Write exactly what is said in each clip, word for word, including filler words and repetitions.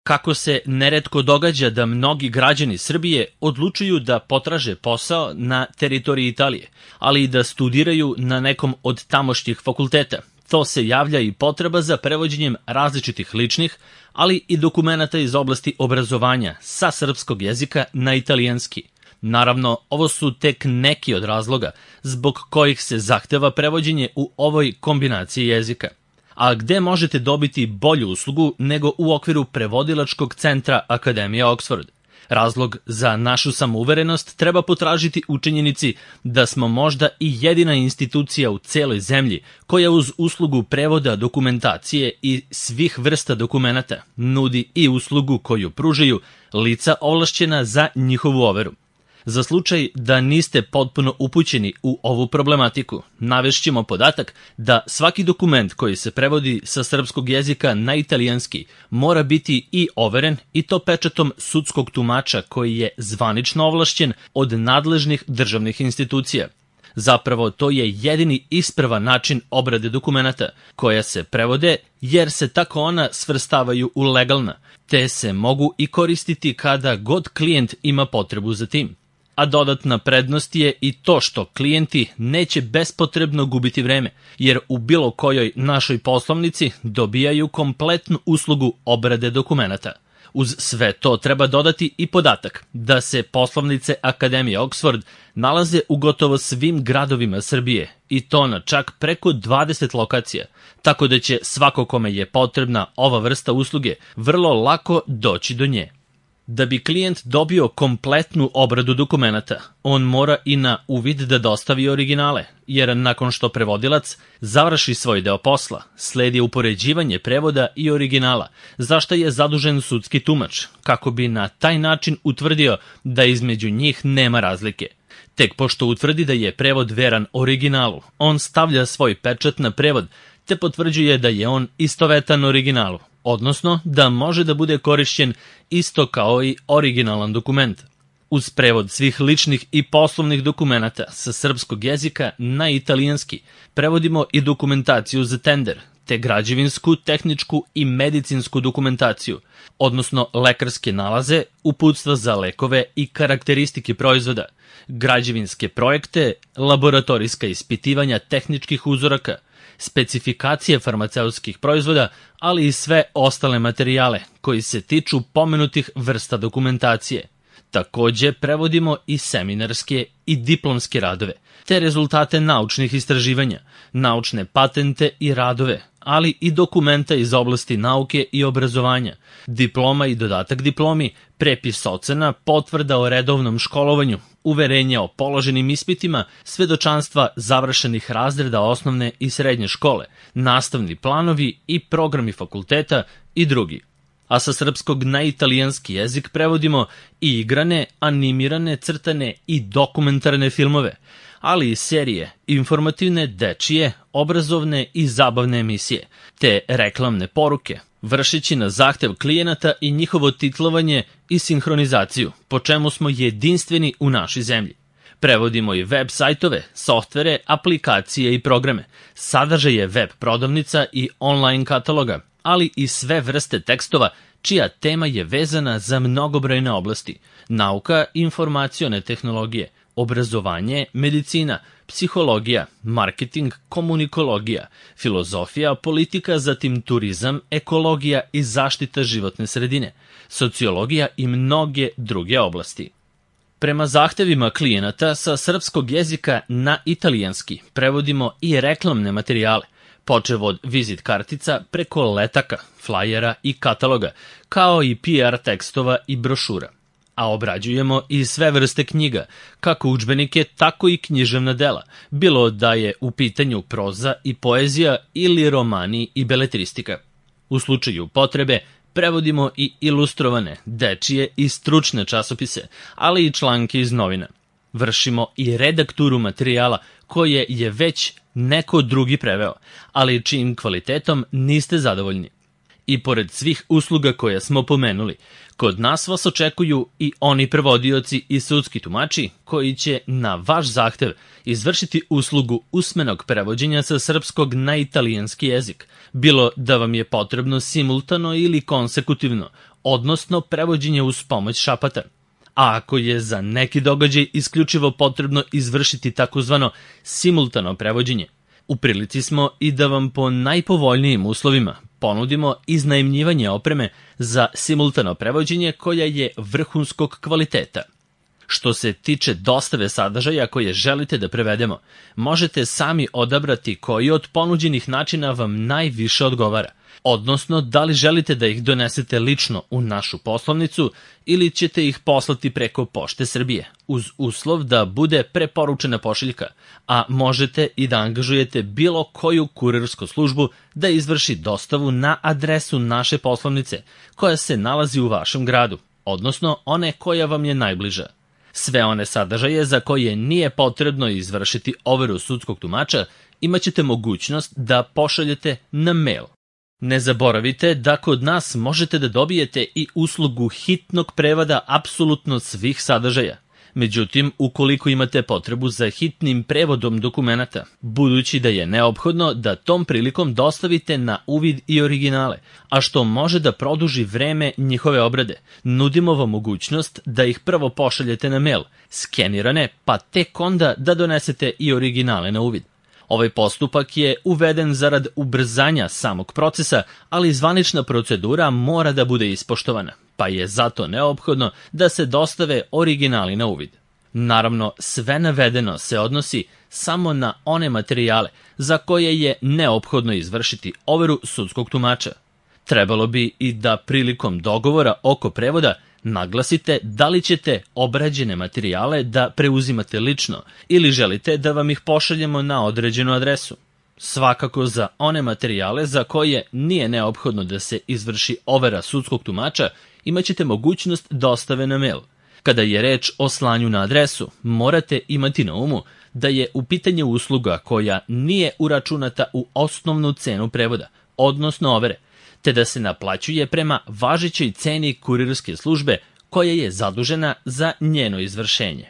kako se neretko događa da mnogi građani Srbije odlučuju da potraže posao na teritoriji Italije, ali i da studiraju na nekom od tamošnjih fakulteta. To se javlja i potreba za prevođenjem različitih ličnih, ali i dokumenata iz oblasti obrazovanja sa srpskog jezika na italijanski. Naravno, ovo su tek neki od razloga zbog kojih se zahteva prevođenje u ovoj kombinaciji jezika. A gde možete dobiti bolju uslugu nego u okviru prevodilačkog centra Akademije Oxford? Razlog za našu samouverenost treba potražiti u činjenici da smo možda i jedina institucija u celoj zemlji koja uz uslugu prevoda dokumentacije i svih vrsta dokumenata nudi i uslugu koju pružaju lica ovlašćena za njihovu overu. Za slučaj da niste potpuno upućeni u ovu problematiku, navešćemo podatak da svaki dokument koji se prevodi sa srpskog jezika na italijanski mora biti i overen i to pečatom sudskog tumača koji je zvanično ovlašćen od nadležnih državnih institucija. Zapravo, to je jedini ispravan način obrade dokumenata koja se prevode jer se tako ona svrstavaju u legalna, te se mogu i koristiti kada god klijent ima potrebu za tim. A dodatna prednost je i to što klijenti neće bespotrebno gubiti vreme, jer u bilo kojoj našoj poslovnici dobijaju kompletnu uslugu obrade dokumenata. Uz sve to treba dodati i podatak da se poslovnice Akademije Oxford nalaze u gotovo svim gradovima Srbije i to na čak preko dvadeset lokacija, tako da će svako kome je potrebna ova vrsta usluge vrlo lako doći do nje. Da bi klijent dobio kompletnu obradu dokumenata, on mora i na uvid da dostavi originale, jer nakon što prevodilac završi svoj deo posla, sledi upoređivanje prevoda i originala, za što je zadužen sudski tumač, kako bi na taj način utvrdio da između njih nema razlike. Tek pošto utvrdi da je prevod veran originalu, on stavlja svoj pečat na prevod, te potvrđuje da je on istovetan originalu, odnosno da može da bude korišćen isto kao i originalan dokument. Uz prevod svih ličnih i poslovnih dokumenata sa srpskog jezika na italijanski prevodimo i dokumentaciju za tender, te građevinsku, tehničku i medicinsku dokumentaciju, odnosno lekarske nalaze, uputstva za lekove i karakteristike proizvoda, građevinske projekte, laboratorijska ispitivanja tehničkih uzoraka, specifikacije farmaceutskih proizvoda, ali i sve ostale materijale koji se tiču pomenutih vrsta dokumentacije. Takođe prevodimo i seminarske i diplomske radove, te rezultate naučnih istraživanja, naučne patente i radove, ali i dokumenta iz oblasti nauke i obrazovanja, diploma i dodatak diplomi, prepis ocena, potvrda o redovnom školovanju, uverenja o položenim ispitima, svedočanstva završenih razreda osnovne i srednje škole, nastavni planovi i programi fakulteta i drugi. A sa srpskog na italijanski jezik prevodimo i igrane, animirane, crtane i dokumentarne filmove, ali i serije, informativne, dečije, obrazovne i zabavne emisije, te reklamne poruke, vršeći na zahtev klijenata i njihovo titlovanje i sinhronizaciju, po čemu smo jedinstveni u našoj zemlji. Prevodimo i web sajtove, softvere, aplikacije i programe, sadržaje web prodavnica i online kataloga, ali i sve vrste tekstova čija tema je vezana za mnogobrojne oblasti: nauka, informacione tehnologije, obrazovanje, medicina, psihologija, marketing, komunikologija, filozofija, politika, zatim turizam, ekologija i zaštita životne sredine, sociologija i mnoge druge oblasti. Prema zahtevima klijenata sa srpskog jezika na italijanski prevodimo i reklamne materijale, počev od vizit kartica preko letaka, flajera i kataloga, kao i P R tekstova i brošura. A obrađujemo i sve vrste knjiga, kako udžbenike, tako i književna dela, bilo da je u pitanju proza i poezija ili romani i beletristika. U slučaju potrebe prevodimo i ilustrovane, dečije i stručne časopise, ali i članke iz novina. Vršimo i redakturu materijala koje je već neko drugi preveo, ali čijim kvalitetom niste zadovoljni. I pored svih usluga koje smo pomenuli, kod nas vas očekuju i oni prevodioci i sudski tumači koji će na vaš zahtev izvršiti uslugu usmenog prevođenja sa srpskog na italijanski jezik, bilo da vam je potrebno simultano ili konsekutivno, odnosno prevođenje uz pomoć šapata. A ako je za neki događaj isključivo potrebno izvršiti takozvano simultano prevođenje, u prilici smo i da vam po najpovoljnijim uslovima ponudimo iznajmljivanje opreme za simultano prevođenje koja je vrhunskog kvaliteta. Što se tiče dostave sadržaja koje želite da prevedemo, možete sami odabrati koji od ponuđenih načina vam najviše odgovara, odnosno da li želite da ih donesete lično u našu poslovnicu ili ćete ih poslati preko Pošte Srbije, uz uslov da bude preporučena pošiljka, a možete i da angažujete bilo koju kurirsku službu da izvrši dostavu na adresu naše poslovnice koja se nalazi u vašem gradu, odnosno one koja vam je najbliža. Sve one sadržaje za koje nije potrebno izvršiti overu sudskog tumača imaćete mogućnost da pošaljete na mail. Ne zaboravite da kod nas možete da dobijete i uslugu hitnog prevoda apsolutno svih sadržaja. Međutim, ukoliko imate potrebu za hitnim prevodom dokumenata, budući da je neophodno da tom prilikom dostavite na uvid i originale, a što može da produži vreme njihove obrade, nudimo vam mogućnost da ih prvo pošaljete na mail, skenirane, pa tek onda da donesete i originale na uvid. Ovaj postupak je uveden zarad ubrzanja samog procesa, ali zvanična procedura mora da bude ispoštovana, pa je zato neophodno da se dostave originali na uvid. Naravno, sve navedeno se odnosi samo na one materijale za koje je neophodno izvršiti overu sudskog tumača. Trebalo bi i da prilikom dogovora oko prevoda naglasite da li ćete obrađene materijale da preuzimate lično ili želite da vam ih pošaljemo na određenu adresu. Svakako za one materijale za koje nije neophodno da se izvrši overa sudskog tumača, imaćete mogućnost dostave na mail. Kada je reč o slanju na adresu, morate imati na umu da je u pitanju usluga koja nije uračunata u osnovnu cenu prevoda, odnosno overe, te da se naplaćuje prema važećoj ceni kurirske službe koja je zadužena za njeno izvršenje.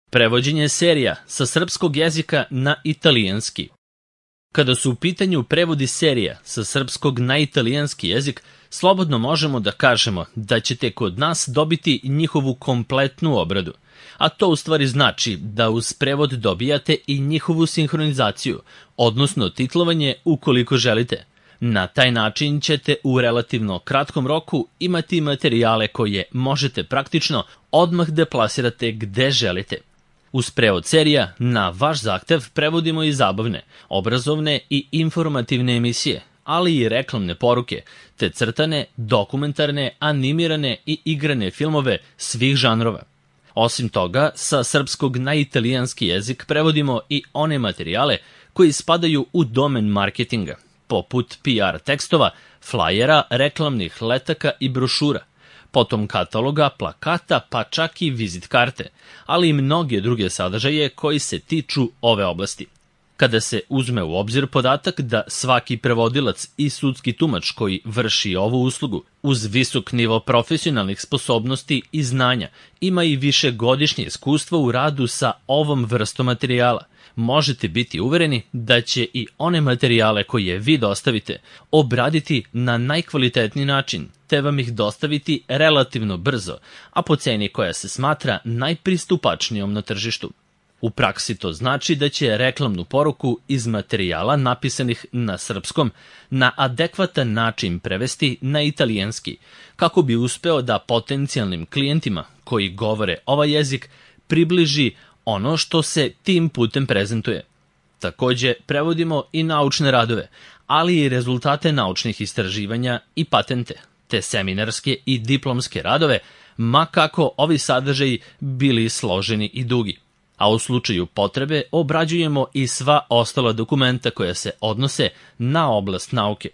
Prevođenje serija sa srpskog jezika na italijanski. Kada su u pitanju prevodi serija sa srpskog na italijanski jezik, slobodno možemo da kažemo da ćete kod nas dobiti njihovu kompletnu obradu, a to u stvari znači da uz prevod dobijate i njihovu sinhronizaciju, odnosno titlovanje ukoliko želite. Na taj način ćete u relativno kratkom roku imati materijale koje možete praktično odmah da plasirate gde želite. Uz prevod serija, na vaš zahtev prevodimo i zabavne, obrazovne i informativne emisije, ali i reklamne poruke, te crtane, dokumentarne, animirane i igrane filmove svih žanrova. Osim toga, sa srpskog na italijanski jezik prevodimo i one materijale koji spadaju u domen marketinga, poput P R tekstova, flajera, reklamnih letaka i brošura, potom kataloga, plakata, pa čak i vizit karte, ali i mnoge druge sadržaje koji se tiču ove oblasti. Kada se uzme u obzir podatak da svaki prevodilac i sudski tumač koji vrši ovu uslugu uz visok nivo profesionalnih sposobnosti i znanja ima i višegodišnje iskustvo u radu sa ovom vrstom materijala, možete biti uvereni da će i one materijale koje vi dostavite obraditi na najkvalitetniji način, te vam ih dostaviti relativno brzo, a po ceni koja se smatra najpristupačnijom na tržištu. U praksi to znači da će reklamnu poruku iz materijala napisanih na srpskom na adekvatan način prevesti na italijanski, kako bi uspeo da potencijalnim klijentima koji govore ovaj jezik približi ono što se tim putem prezentuje. Takođe, prevodimo i naučne radove, ali i rezultate naučnih istraživanja i patente, te seminarske i diplomske radove, ma kako ovi sadržaji bili složeni i dugi. A u slučaju potrebe obrađujemo i sva ostala dokumenta koja se odnose na oblast nauke.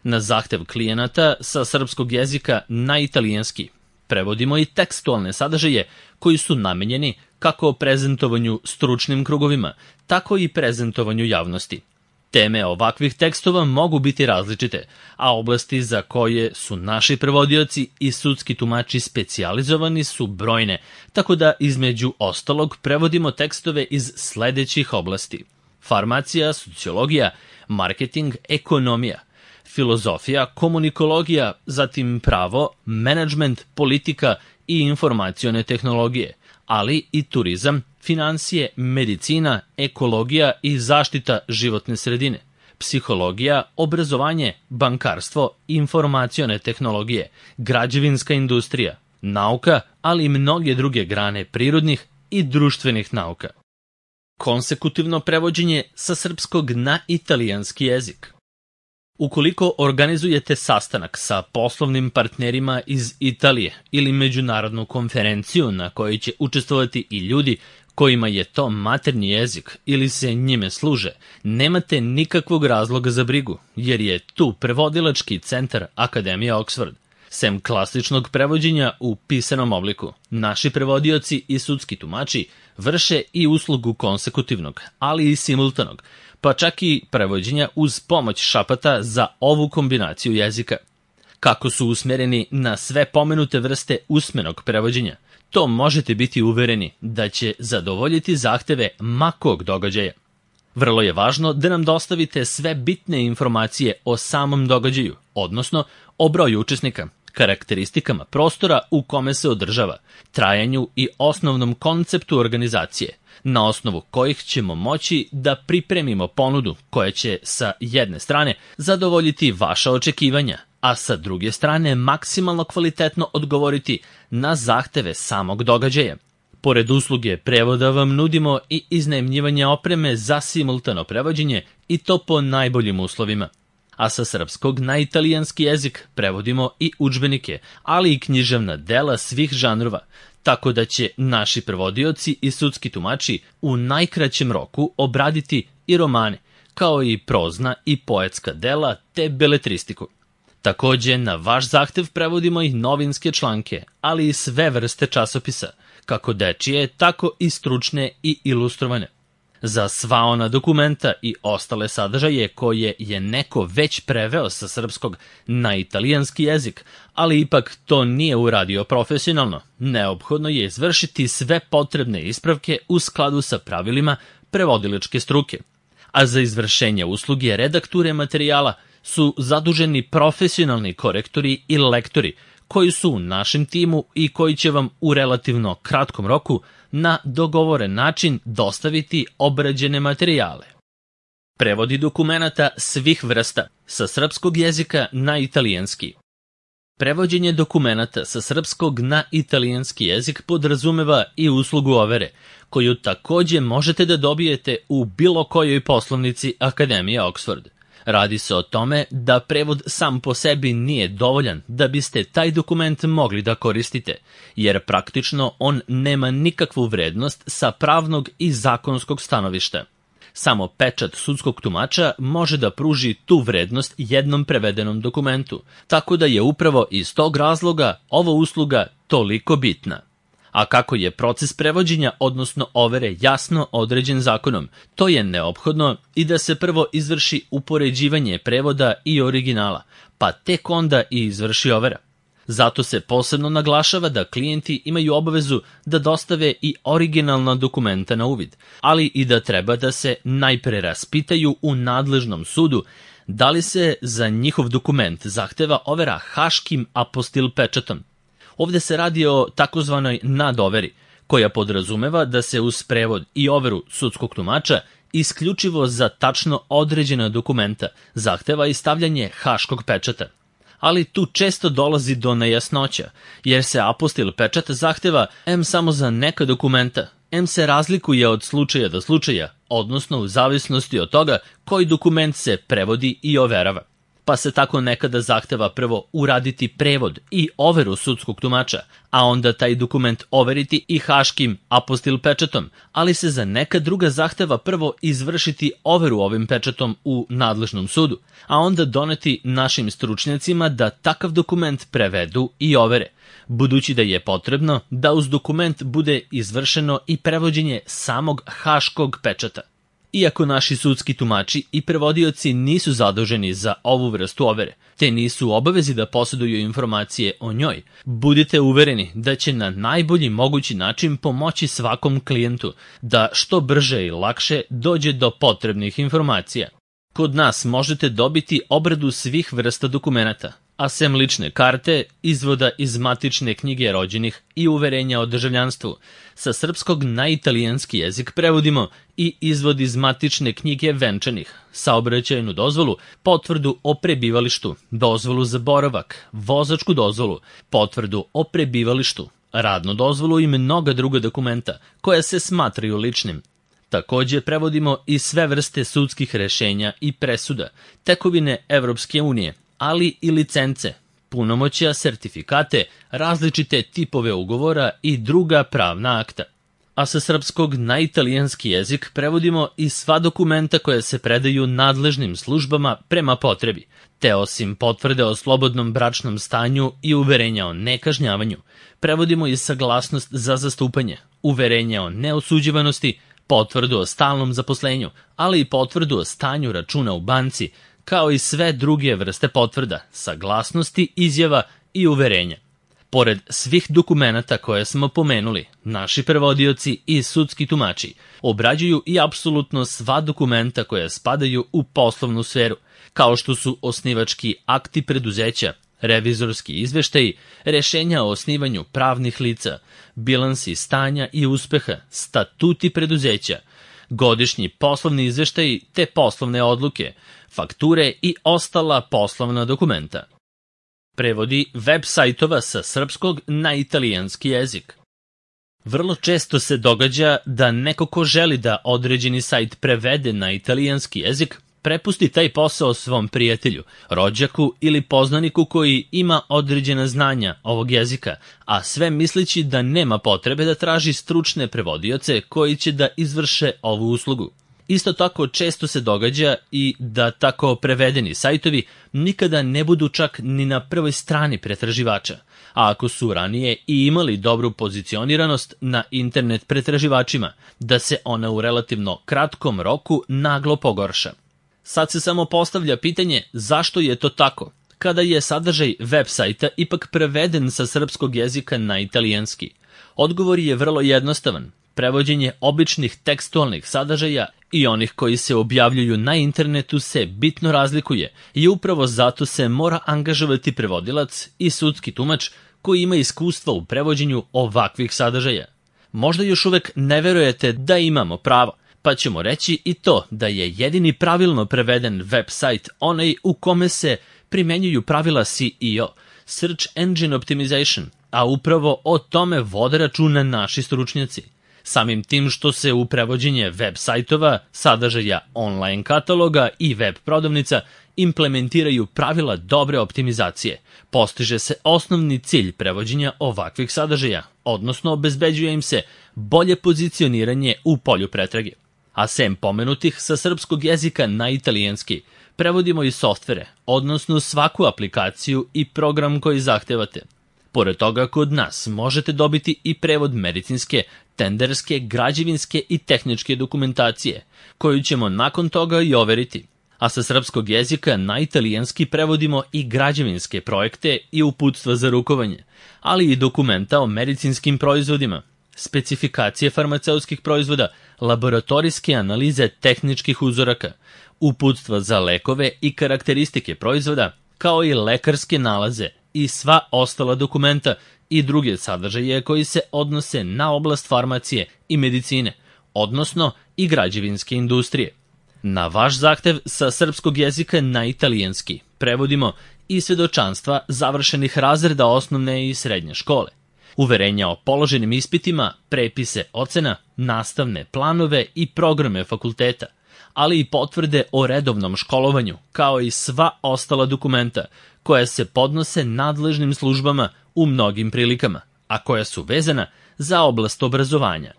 Na zahtev klijenata sa srpskog jezika na italijanski prevodimo i tekstualne sadržaje koji su namenjeni kako prezentovanju stručnim krugovima, tako i prezentovanju javnosti. Teme ovakvih tekstova mogu biti različite, a oblasti za koje su naši prevodioci i sudski tumači specijalizovani su brojne, tako da između ostalog prevodimo tekstove iz sledećih oblasti: farmacija, sociologija, marketing, ekonomija, filozofija, komunikologija, zatim pravo, menadžment, politika i informacione tehnologije, ali i turizam, finansije, medicina, ekologija i zaštita životne sredine, psihologija, obrazovanje, bankarstvo, informacione tehnologije, građevinska industrija, nauka, ali i mnoge druge grane prirodnih i društvenih nauka. Konsekutivno prevođenje sa srpskog na italijanski jezik. Ukoliko organizujete sastanak sa poslovnim partnerima iz Italije ili međunarodnu konferenciju na kojoj će učestvovati i ljudi kojima je to maternji jezik ili se njime služe, nemate nikakvog razloga za brigu, jer je tu prevodilački centar Akademija Oxford. Sem klasičnog prevođenja u pisanom obliku, naši prevodioci i sudski tumači vrše i uslugu konsekutivnog, ali i simultanog, pa čak i prevođenja uz pomoć šapata za ovu kombinaciju jezika. Kako su usmereni na sve pomenute vrste usmenog prevođenja, to možete biti uvereni da će zadovoljiti zahteve ma kog događaja. Vrlo je važno da nam dostavite sve bitne informacije o samom događaju, odnosno o broju učesnika, karakteristikama prostora u kome se održava, trajanju i osnovnom konceptu organizacije, na osnovu kojih ćemo moći da pripremimo ponudu koja će sa jedne strane zadovoljiti vaša očekivanja, a sa druge strane maksimalno kvalitetno odgovoriti na zahteve samog događaja. Pored usluge prevoda vam nudimo i iznajmljivanje opreme za simultano prevođenje i to po najboljim uslovima. A sa srpskog na italijanski jezik prevodimo i udžbenike, ali i književna dela svih žanrova, tako da će naši prevodioci i sudski tumači u najkraćem roku obraditi i romane, kao i prozna i poetska dela te beletristiku. Takođe, na vaš zahtev prevodimo i novinske članke, ali i sve vrste časopisa, kako dečije, tako i stručne i ilustrovane. Za sva ona dokumenta i ostale sadržaje koje je neko već preveo sa srpskog na italijanski jezik, ali ipak to nije uradio profesionalno, neophodno je izvršiti sve potrebne ispravke u skladu sa pravilima prevodilačke struke. A za izvršenje usluge redakture materijala su zaduženi profesionalni korektori i lektori, koji su u našem timu i koji će vam u relativno kratkom roku na dogovoren način dostaviti obrađene materijale. Prevodi dokumenata svih vrsta sa srpskog jezika na italijanski. Prevođenje dokumenata sa srpskog na italijanski jezik podrazumeva i uslugu overe, koju takođe možete da dobijete u bilo kojoj poslovnici Akademije Oxford. Radi se o tome da prevod sam po sebi nije dovoljan da biste taj dokument mogli da koristite, jer praktično on nema nikakvu vrednost sa pravnog i zakonskog stanovišta. Samo pečat sudskog tumača može da pruži tu vrednost jednom prevedenom dokumentu, tako da je upravo iz tog razloga ova usluga toliko bitna. A kako je proces prevođenja, odnosno overe, jasno određen zakonom, to je neophodno i da se prvo izvrši upoređivanje prevoda i originala, pa tek onda i izvrši overa. Zato se posebno naglašava da klijenti imaju obavezu da dostave i originalna dokumenta na uvid, ali i da treba da se najpre raspitaju u nadležnom sudu da li se za njihov dokument zahteva overa haškim apostil pečatom. Ovde se radi o takozvanoj nadoveri, koja podrazumeva da se uz prevod i overu sudskog tumača isključivo za tačno određena dokumenta zahteva i stavljanje haškog pečata. Ali tu često dolazi do nejasnoća, jer se apostil pečat zahteva em samo za neka dokumenta, em se razlikuje od slučaja do slučaja, odnosno u zavisnosti od toga koji dokument se prevodi i overava. Pa se tako nekada zahteva prvo uraditi prevod i overu sudskog tumača, a onda taj dokument overiti i haškim apostil pečatom, ali se za neka druga zahteva prvo izvršiti overu ovim pečatom u nadležnom sudu, a onda doneti našim stručnjacima da takav dokument prevedu i overe, budući da je potrebno da uz dokument bude izvršeno i prevođenje samog haškog pečata. Iako naši sudski tumači i prevodioci nisu zaduženi za ovu vrstu overe, te nisu u obavezi da posjeduju informacije o njoj, budite uvereni da će na najbolji mogući način pomoći svakom klijentu da što brže i lakše dođe do potrebnih informacija. Kod nas možete dobiti obradu svih vrsta dokumenata, a sem lične karte, izvoda iz matične knjige rođenih i uverenja o državljanstvu, sa srpskog na italijanski jezik prevodimo i izvod iz matične knjige venčanih, saobraćajnu dozvolu, potvrdu o prebivalištu, dozvolu za boravak, vozačku dozvolu, potvrdu o prebivalištu, radnu dozvolu i mnoga druga dokumenta koja se smatraju ličnim. Takođe prevodimo i sve vrste sudskih rešenja i presuda, tekovine Evropske unije, ali i licence, punomoćja, sertifikate, različite tipove ugovora i druga pravna akta. A sa srpskog na italijanski jezik prevodimo i sva dokumenta koja se predaju nadležnim službama prema potrebi, te osim potvrde o slobodnom bračnom stanju i uverenja o nekažnjavanju, prevodimo i saglasnost za zastupanje, uverenja o neosuđivanosti, potvrdu o stalnom zaposlenju, ali i potvrdu o stanju računa u banci, kao i sve druge vrste potvrda, saglasnosti, izjava i uverenja. Pored svih dokumenata koje smo pomenuli, naši prevodioci i sudski tumači obrađuju i apsolutno sva dokumenta koja spadaju u poslovnu sferu, kao što su osnivački akti preduzeća, revizorski izveštaji, rešenja o osnivanju pravnih lica, bilansi stanja i uspeha, statuti preduzeća, godišnji poslovni izveštaji te poslovne odluke, fakture i ostala poslovna dokumenta. Prevodi web sajtova sa srpskog na italijanski jezik. Vrlo često se događa da neko ko želi da određeni sajt prevede na italijanski jezik, prepusti taj posao svom prijatelju, rođaku ili poznaniku koji ima određena znanja ovog jezika, a sve misleći da nema potrebe da traži stručne prevodioce koji će da izvrše ovu uslugu. Isto tako često se događa i da tako prevedeni sajtovi nikada ne budu čak ni na prvoj strani pretraživača, a ako su ranije i imali dobru pozicioniranost na internet pretraživačima, da se ona u relativno kratkom roku naglo pogorša. Sad se samo postavlja pitanje zašto je to tako, kada je sadržaj web sajta ipak preveden sa srpskog jezika na italijanski. Odgovor je vrlo jednostavan. Prevođenje običnih tekstualnih sadržaja i onih koji se objavljuju na internetu se bitno razlikuje i upravo zato se mora angažovati prevodilac i sudski tumač koji ima iskustva u prevođenju ovakvih sadržaja. Možda još uvek ne verujete da imamo pravo, pa ćemo reći i to da je jedini pravilno preveden web sajt onaj u kome se primenjuju pravila S E O, Search Engine Optimization, a upravo o tome vode računa naši stručnjaci. Samim tim što se u prevođenje web sajtova, sadržaja online kataloga i web prodavnica implementiraju pravila dobre optimizacije, postiže se osnovni cilj prevođenja ovakvih sadržaja, odnosno obezbeđuje im se bolje pozicioniranje u polju pretrage. A sem pomenutih sa srpskog jezika na italijanski, prevodimo i softvere, odnosno svaku aplikaciju i program koji zahtevate. Pored toga, kod nas možete dobiti i prevod medicinske, tenderske, građevinske i tehničke dokumentacije, koju ćemo nakon toga i overiti. A sa srpskog jezika na italijanski prevodimo i građevinske projekte i uputstva za rukovanje, ali i dokumenta o medicinskim proizvodima, specifikacije farmaceutskih proizvoda, laboratorijske analize tehničkih uzoraka, uputstva za lekove i karakteristike proizvoda, kao i lekarske nalaze i sva ostala dokumenta i druge sadržaje koji se odnose na oblast farmacije i medicine, odnosno i građevinske industrije. Na vaš zahtev sa srpskog jezika na italijanski prevodimo i svedočanstva završenih razreda osnovne i srednje škole, uverenja o položenim ispitima, prepise ocena, nastavne planove i programe fakulteta, ali i potvrde o redovnom školovanju, kao i sva ostala dokumenta koja se podnose nadležnim službama u mnogim prilikama, a koja su vezana za oblast obrazovanja.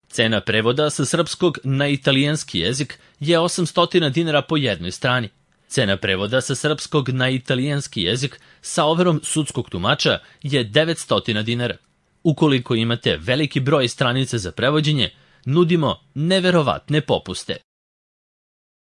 Cena prevoda sa srpskog na italijanski jezik je osamsto dinara po jednoj strani. Cena prevoda sa srpskog na italijanski jezik sa overom sudskog tumača je devetsto dinara. Ukoliko imate veliki broj stranica za prevođenje, nudimo neverovatne popuste.